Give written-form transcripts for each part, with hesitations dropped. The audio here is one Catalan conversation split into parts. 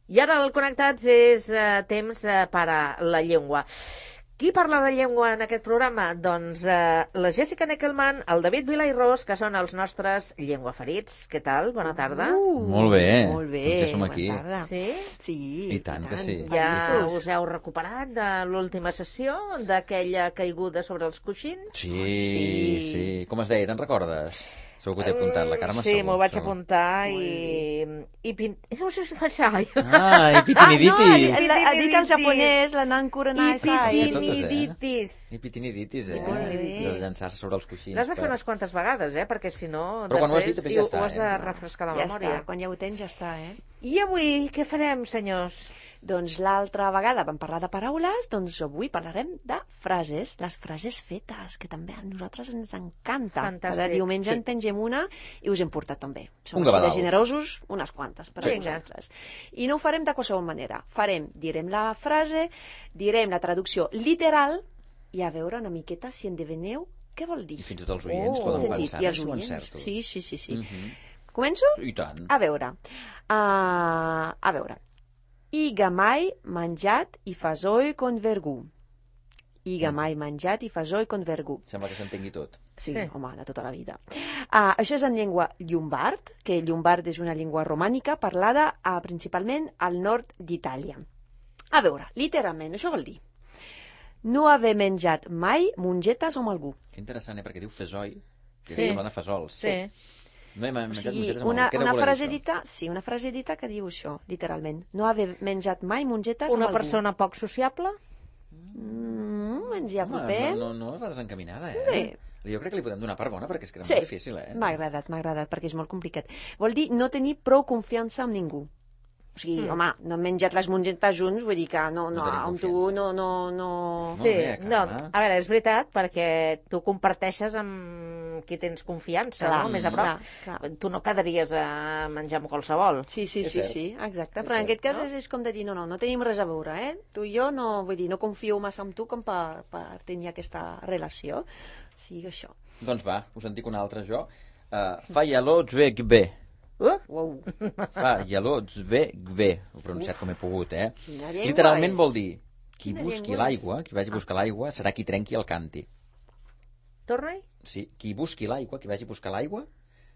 I ara el Connectats és temps per a la llengua. Qui parla de llengua en aquest programa? Doncs la Jessica Neckelman, el David Vilairós, que són els nostres llengüaferits. Què tal? Bona tarda. Molt bé. Molt bé. Doncs ja som aquí. Bona tarda. Sí? Sí. I tant que sí. Ja us heu recuperat de l'última sessió, d'aquella caiguda sobre els coixins? Sí. Com es deia, te'n recordes? Segur que t'he apuntat, la Carme Sí, segur. m'ho vaig apuntar i no sé si passava. I pitiniditis. Ha dit el japonès, la Nankuranai Sai. I pitiniditis, Molt bé. De llançar-se sobre els coixins. L'has de fer unes quantes vegades, perquè si no, Però quan ho has dit, després ja està, ho has de refrescar la Ja memòria. està, quan ja ho tens ja està, I avui què farem, senyors? Doncs l'altra vegada vam parlar de paraules, doncs avui parlarem de frases, les frases fetes, que també a nosaltres ens encanta. Fantàstic. Cada diumenge Sí. en pengem una i us hem portat també. Som Un així de gavadal. generosos, unes quantes per a Vinga. vosaltres. I no ho farem de qualsevol manera. Direm la frase, direm la traducció literal i a veure una miqueta si endevineu què vol dir. I fins i tot els oients poden Sentit. pensar I els si ho oients. encerto. Sí. Començo? I tant. A veure. A veure. Iga mai menjat i fasoi con vergú. Iga mai menjat i fasoi con vergú. Sembla que s'entengui tot. Sí, Sí. home, de tota la vida. Això és en llengua llombard, que llombard és una llengua romànica parlada principalment al nord d'Itàlia. A veure, literalment, això vol dir no haver menjat mai mongetes amb algú. Que interessant, perquè diu fesoi, que Sí. sembla de fesols. Sí. No hem O menjat sigui, mongetes amb una algú. Què deu voler frase dir això? dita, una frase dita que diu això, literalment. No haver menjat mai mongetes amb Una algú. persona poc sociable? Ens hi apropem. No va desencaminada, Sí. Jo crec que li podem donar per bona, perquè és que era Sí, molt difícil, m'ha agradat, perquè és molt complicat. Vol dir no tenir prou confiança en ningú. O sigui, home, no hem menjat les mongetes junts, vull dir que no, No tenim amb tu confiança. no... Molt Sí, bé, no, Carme. a veure, és veritat, perquè tu comparteixes amb qui tens confiança, Clar, no? Més a prop. clar. Tu no quedaries a menjar amb qualsevol. Sí, És cert. exacte. És Però en cert, aquest cas no? és com de dir, no tenim res a veure, Tu i jo no, vull dir, no confio massa en tu com per tenir aquesta relació. Sí, això. Doncs va, us en dic una altra jo. Fa ialò zveg bé. Uau. Fa ialò zveg bé. Ho he pronunciat com he pogut, Quina llengua Literalment és? vol dir qui Quina busqui llengua l'aigua, qui vagi a buscar l'aigua, serà qui trenqui el canti. Torna-hi? Sí, qui busqui l'aigua, qui vagi a buscar l'aigua,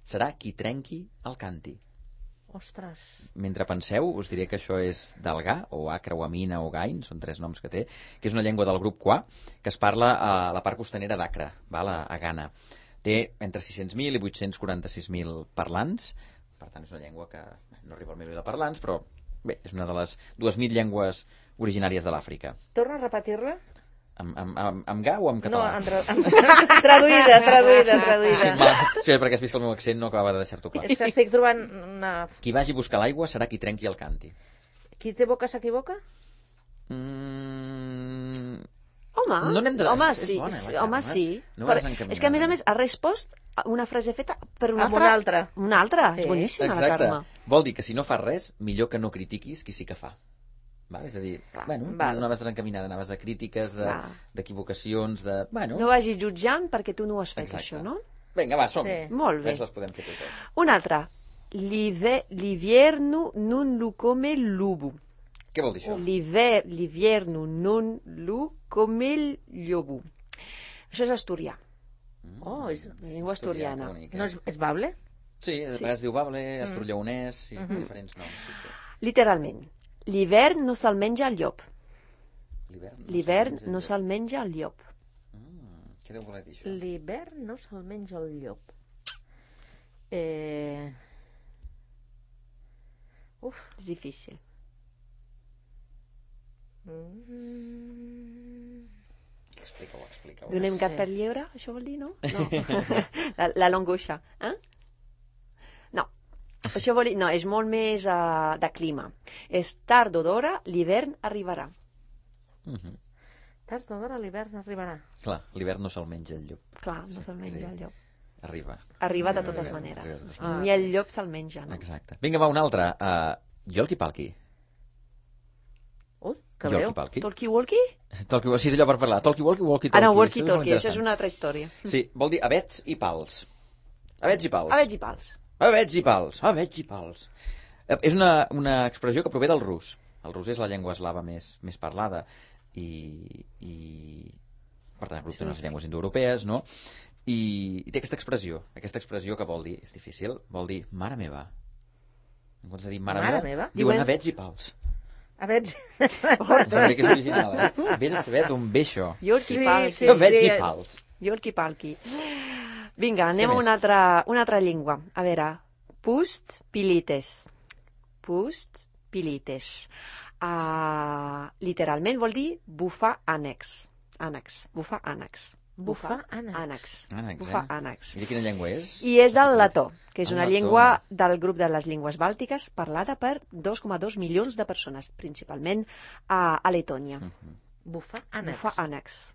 serà qui trenqui el canti. Ostres. Mentre penseu, us diré que això és del Gà, o Acre, o Amina, o Gain, són 3 noms que té, que és una llengua del grup Qua, que es parla a la part costanera d'Acre, a Ghana. Té entre 600.000 i 846.000 parlants, per tant és una llengua que no arriba al milió de parlants, però bé, és una de les 2.000 llengües originàries de l'Àfrica. Torna a repetir-la? Amb Gà o amb No, català? traduïda. Sí, perquè has vist que el meu accent no acabava de deixar-t'ho clar. És que estic trobant una... Qui vagi a buscar l'aigua serà qui trenqui el canti. Qui té boca s'equivoca? Home, No n'hem de- home, és sí, bona, sí, la Carme. home, sí. No va Però desencaminada. és que, a més, ha respost a una frase feta per una Amb altra. una altra. Una altra, Sí. és boníssima, la Exacte. Carme. Vol dir que si no fas res, millor que no critiquis qui sí que fa. Val? És a dir, bueno, val. no anaves desencaminada, anaves de crítiques, Va. d'equivocacions, de... Bueno, No vagis jutjant perquè tu no ho has fet, Exacte. això, no? vinga, va, som. Sí. Molt bé. Ves les podem fer totes. Una altra. L'hivierno non lo come il lupo. Què vol dir això? L'hivierno non lo come il llobo. Això és asturià, Oh, és... la llengua asturiana. que bonic, No és bable? Sí, a vegades diu bable, asturllaonès, sí, diferents noms, sí. Literalment. L'hivern no se'l menja el llop. L'hivern no se'l... se'l menja el llop. Què deu voler dir això? L'hivern no se'l menja el llop. Uf. És difícil. Explica-ho. Donem gat sé. per llebre, això vol dir, no? No. la longoixa. No. Això vol dir... No, és molt més de clima. És tard o d'hora, l'hivern arribarà. Tard o d'hora l'hivern arribarà. Clar, l'hivern no se'l menja el llop. Clar, no se'l menja el llop. Arriba. Arriba de totes maneres. O sigui, ni el llop se'l menja, no? Exacte. Vinga, va, una altra. Yolki-palki. Ui, que breu. Yolki-palki. Talkie-walkie? Sí, és allò per parlar. Talkie-walkie, walkie-talkie. Ah, no, Això walkie-talkie, molt això és interessant. una altra història. Sí, vol dir avets i pals. Avets i pals. Avets i pals. Avets i pals. Avets i pals. És una expressió que prové del rus. El rus és la llengua eslava més parlada i per tant, té unes llengües indoeuropees, no? I té aquesta expressió que vol dir, és difícil, vol dir mare meva. En comptes de dir mare meva, diuen avets i pals. Avets. També que és original, eh? Vés a saber d'on ve això. Iolki-palki. Avets i pals. Iolki-palki. Vinga, anem a una altra llengua. A veure, pust pilites. Pust pilites. Literalment vol dir bufar ànecs. Bufar ànecs. Bufar ànecs. Bufar ànecs. I de quina llengua és? I és del letó, que és una llengua del grup de les llengües bàltiques parlada per 2,2 milions de persones, principalment a Letònia. Bufar ànecs. Bufar ànecs.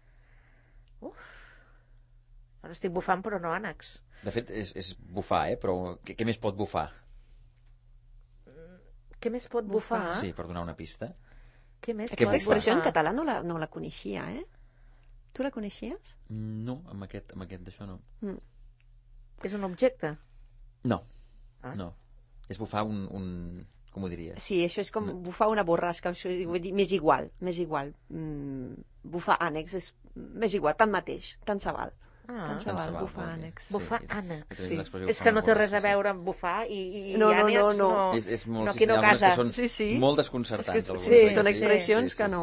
Ara estic bufant, però no ànecs. De fet, és bufar, però què més pot bufar? Què més pot bufar? Sí, per donar una pista. Què més Aquesta expressió en català no la coneixia, eh? Tu la coneixies? No, amb aquest d'això no. És un objecte? No, no. És bufar com ho diries? Sí, això és com bufar una borrasca, això vull dir, m'és igual. Bufar ànecs és més igual, tant mateix, tant se val. Tant se val, bufar ànecs. Bufar ànecs. Sí. És que no té res a veure amb bufar i ànecs. No. És molt, aquí no casa. Que són molt desconcertants. Sí, són expressions que no...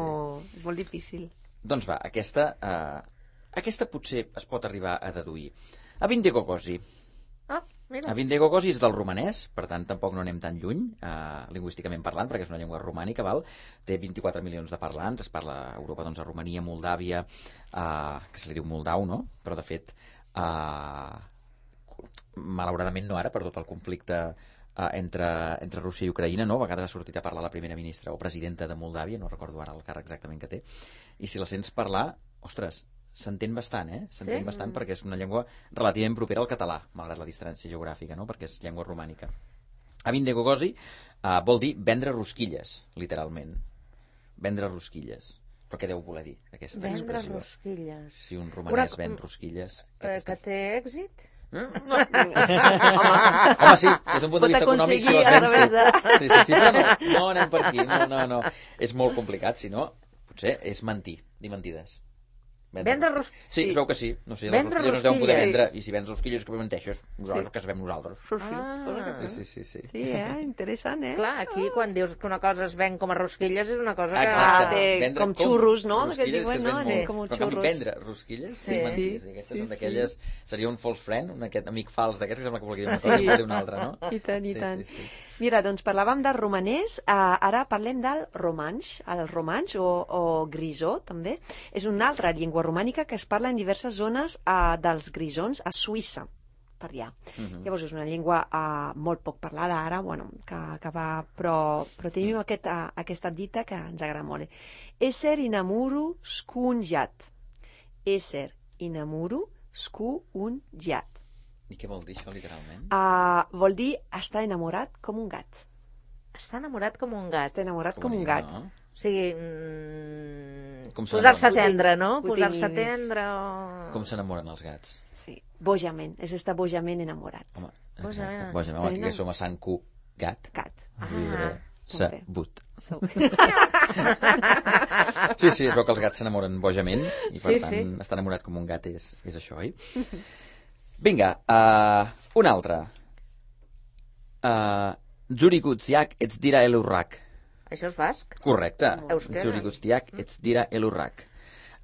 És molt difícil. Doncs va, aquesta potser es pot arribar a deduir. Avindegogosi. Mira. Avindegogosi és del romanès, per tant tampoc no anem tan lluny, lingüísticament parlant, perquè és una llengua romànica, val? Té 24 milions de parlants, es parla a Europa, doncs, a Romania, Moldàvia, que se li diu moldau, no? Però de fet, malauradament no ara, per tot el conflicte entre Rússia i Ucraïna, no? A vegades ha sortit a parlar la primera ministra o presidenta de Moldàvia, no recordo ara el càrrec exactament que té, i si la sents parlar, ostres, s'entén bastant, S'entén bastant perquè és una llengua relativament propera al català, malgrat la distància geogràfica, no? Perquè és llengua romànica. Avindegogosi vol dir vendre rosquilles, literalment. Vendre rosquilles. Però què deu voler dir, aquesta expressió? Vendre rosquilles. Si un romanès ven rosquilles... Que té èxit? No. Home, sí, des d'un punt de vista econòmic, si les vens... Sí, però no anem per aquí. No. És molt complicat, si no, potser és mentir, dir mentides. Vendre rosquilles? Sí, es veu que sí. No sé, les rosquilles no es deuen poder vendre. I si vens rosquilles que menteixes, nosaltres que sabem nosaltres. Sí. Sí, interessant, Clar, aquí quan dius que una cosa es ven com a rosquilles és una cosa que... Exacte. Com xurros, no? Rosquilles que es ven molt. Com Però canvi vendre rosquilles, sí, mentís. Aquestes són d'aquelles... Seria un false friend, aquest amic fals d'aquests que sembla que volia dir una cosa i dir una altra, no? I tant. Mira, doncs parlàvem del romanès, ara parlem del romanx. El romanx, o grisó, també, és una altra llengua romànica que es parla en diverses zones dels grisons a Suïssa, per allà. Llavors és una llengua molt poc parlada ara, bueno, que va... Però tenim aquesta dita que ens agrada molt. Ésser inamuru skunjat. Ésser inamuru skunjat. I què vol dir això, literalment? Vol dir estar enamorat com un gat. Està enamorat com un gat. Està enamorat com un gat. No? O sigui, posar-se a tendre, no? Posar-se a tendre o... Com s'enamoren els gats? Sí, bojament. És estar bojament enamorat. Home, bojament. Aquí que som a Sant Cu, gat. Gat. Sabut. Sí, es veu que els gats s'enamoren bojament i per tant estar enamorat com un gat és això, oi? Vinga, un altre. Zurigutziak ets dira elurrak. Això és basc? Correcte. Euskera. Zurigutziak ets dira elurrak.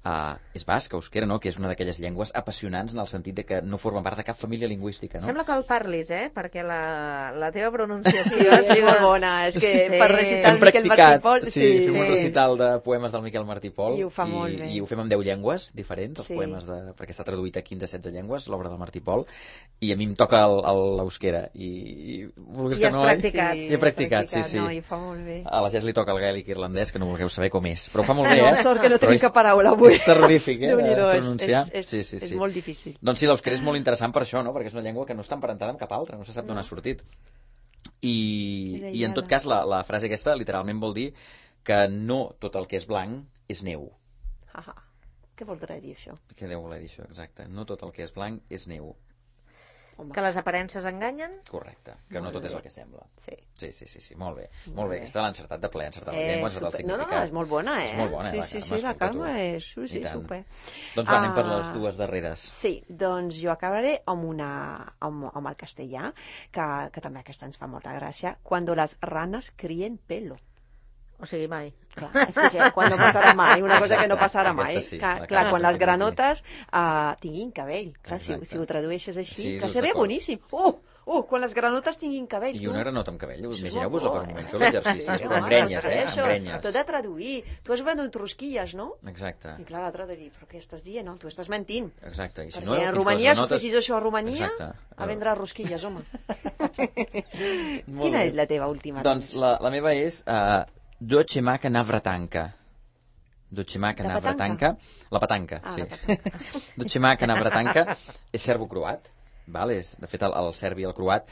És basc, euskera, no? Que és una d'aquelles llengües apassionants en el sentit de que no formen part de cap família lingüística, no? Sembla que el parlis, perquè la teva pronunciació és molt bona. És que per recitar el Miquel Martí Pol... Sí, fem un recital de poemes del Miquel Martí Pol i ho fa molt bé. I ho fem amb 10 llengües diferents, els poemes, perquè està traduït a 15-16 llengües, l'obra del Martí Pol, i a mi em toca l'euskera. I has practicat. I he practicat, sí. No, i ho fa molt bé. A la Jess li toca el gaèlic irlandès, que no vulgueu saber com és. Però ho fa molt bé, No, sort que no tenim cap paraula avui. És terrorífic, de pronunciar. És molt difícil. Doncs sí, l'euskera és molt interessant per això, no? Perquè és una llengua que no està emparentada amb cap altra, no se sap d'on ha sortit. I en tot cas, la frase aquesta literalment vol dir que no tot el que és blanc és neu. Què voldrà dir això? Què deu voler dir això, exacte? No tot el que és blanc és neu. Home. Que les aparences enganyen? Correcte, que no tot és el que sembla. Sí. Sí, molt bé. Molt bé, aquesta l'ha encertat de ple, encertat la llengua, encertat el No, significat. és molt bona, És molt bona, la Carme és... Sí, I tant. super. Doncs va, anem per les dues darreres. Sí, doncs jo acabaré amb el castellà, que també aquesta ens fa molta gràcia. Cuando las ranas críen pelo. O sigui, mai. Clar, és que sí, quan no passarà mai, una cosa que no passarà mai. Sí, clar, quan les granotes tinguin cabell. Clar, si ho tradueixes així, Sí, que seria boníssim. Quan les granotes tinguin cabell. I una granota amb cabell, Això és imagineu-vos-la per molt un moment, bo, feu l'exercici, Sí, però amb grenyes, amb grenyes. T'ho he de traduir. Tu has venut rosquilles, no? Exacte. I clar, l'altre de dir, però què estàs dient? No, tu estàs mentint. Exacte. I si Perquè no, a Romania, si fessis això a Romania, Exacte. a vendre rosquilles, home. Quina és la teva última? Doncs la meva és Dochemaka Navratanka. Dochemaka Navratanka. La petanca, sí. Dochemaka Navratanka és serbo-croat. De fet, el serbi i el croat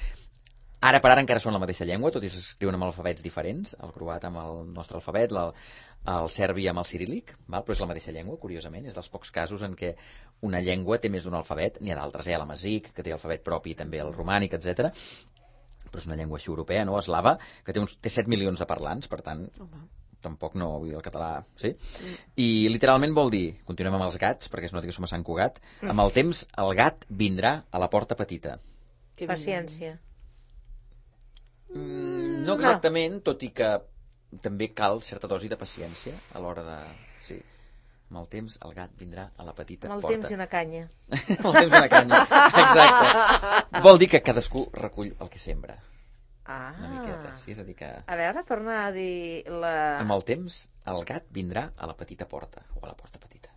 ara per ara encara són la mateixa llengua, tot i s'escriuen amb alfabets diferents, el croat amb el nostre alfabet, el serbi amb el ciríl·lic, però és la mateixa llengua, curiosament, és dels pocs casos en què una llengua té més d'un alfabet, n'hi ha d'altres, l'amazic, que té alfabet propi, també el romànic, etc. Però és una llengua així europea, no? Eslava, que té 7 milions de parlants, per tant, tampoc no, vull dir, el català, sí? I literalment vol dir, continuem amb els gats, perquè es nota que som a Sant Cugat, amb el temps el gat vindrà a la porta petita. Paciència. No exactament, tot i que també cal certa dosi de paciència a l'hora de... Sí, amb el temps el gat vindrà a la petita porta. Amb el temps i una canya. Amb el temps i una canya, exacte. Vol dir que cadascú recull el que sembra. Una miqueta, sí, és a dir que... A veure, torna a dir la... Amb el temps el gat vindrà a la petita porta, o a la porta petita.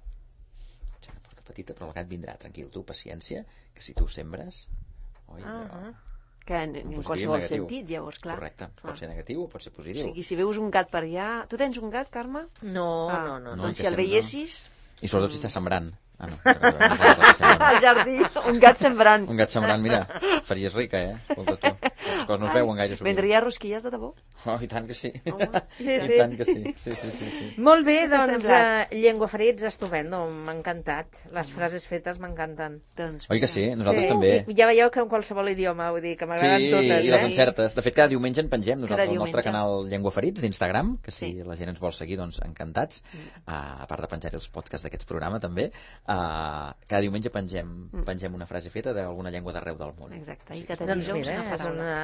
Una porta petita, però el gat vindrà, tranquil, tu, paciència, que si tu sembres... Que en qualsevol sentit, llavors, clar. Correcte, pot ser negatiu o pot ser positiu. O sigui, si veus un gat per allà... Tu tens un gat, Carme? No. Doncs si el veiessis... I sobretot si està sembrant. No. Al jardí, un gat sembrant. Un gat sembrant, mira, faries rica, Escolta tu. Les coses no es veuen gaire sovint. Vendria rosquilles de debò? I tant que sí. Sí. I tant que sí. Sí. Molt bé, doncs, Llengüaferits, estupendo, m'ha encantat. Les frases fetes m'encanten. Oi que sí? Nosaltres també. I ja veieu que en qualsevol idioma, vull dir, que m'agraden totes. Sí, i les encertes. De fet, cada diumenge en pengem nosaltres al nostre canal Llengüaferits d'Instagram, que si la gent ens vol seguir, doncs encantats. A part de penjar-hi els podcasts d'aquests programes, també. Cada diumenge pengem una frase feta d'alguna llengua d'arreu del món. Exacte, i que doncs mira, és una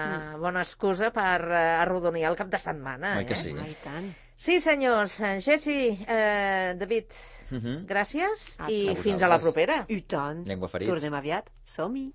bona excusa per arrodonir el cap de setmana. Oi que sí? I tant. Sí, senyors. Jessi, David, gràcies i fins a la propera. I tant. Llengüaferits. Tornem aviat. Som-hi.